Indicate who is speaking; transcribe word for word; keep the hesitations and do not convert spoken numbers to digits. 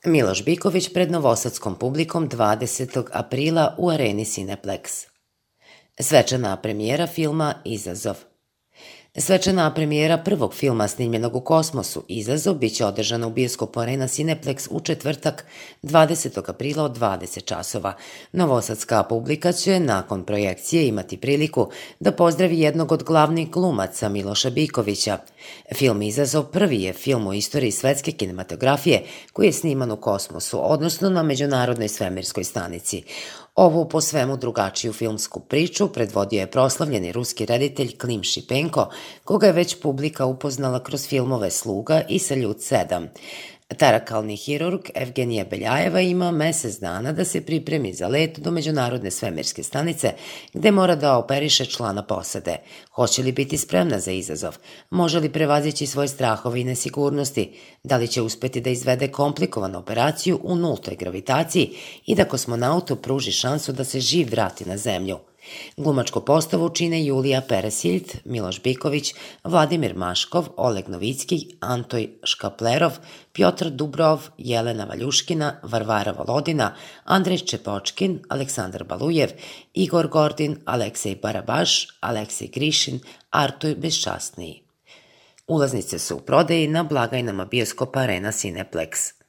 Speaker 1: Miloš Biković pred novosadskom publikom dvadesetog aprila u areni Cineplex. Svečana premijera filma Izazov. Svečana premijera prvog filma snimljenog u kosmosu Izazov biće održana u bioskopu Arena Cineplex u četvrtak dvadesetog aprila od dvadeset časova. Novosadska publika će nakon projekcije imati priliku da pozdravi jednog od glavnih glumaca Miloša Bikovića. Film Izazov prvi je film u istoriji svetske kinematografije koji je sniman u kosmosu, odnosno na Međunarodnoj svemirskoj stanici. Ovu po svemu drugačiju filmsku priču predvodio je proslavljeni ruski reditelj Klim Šipenko, koga je već publika upoznala kroz filmove Sluga i Saljut sedam. Tarakalni hirurg Evgenija Beljajeva ima mesec dana da se pripremi za let do Međunarodne svemirske stanice, gde mora da operiše člana posade. Hoće li biti spremna za izazov? Može li prevazići svoje strahove i nesigurnosti? Da li će uspeti da izvede komplikovanu operaciju u nultoj gravitaciji i da kosmonautu pruži šansu da se živ vrati na Zemlju? Glumačku postavu čine Julija Peresiljt, Miloš Biković, Vladimir Maškov, Oleg Novicki, Antoj Škaplerov, Pjotr Dubrov, Jelena Valjuškina, Varvara Volodina, Andrej Čepočkin, Aleksandar Balujev, Igor Gordin, Aleksej Barabaš, Aleksej Grišin, Artur Beščasniji. Ulaznice su u prodaji na blagajnama bioskopa Arena Cineplex.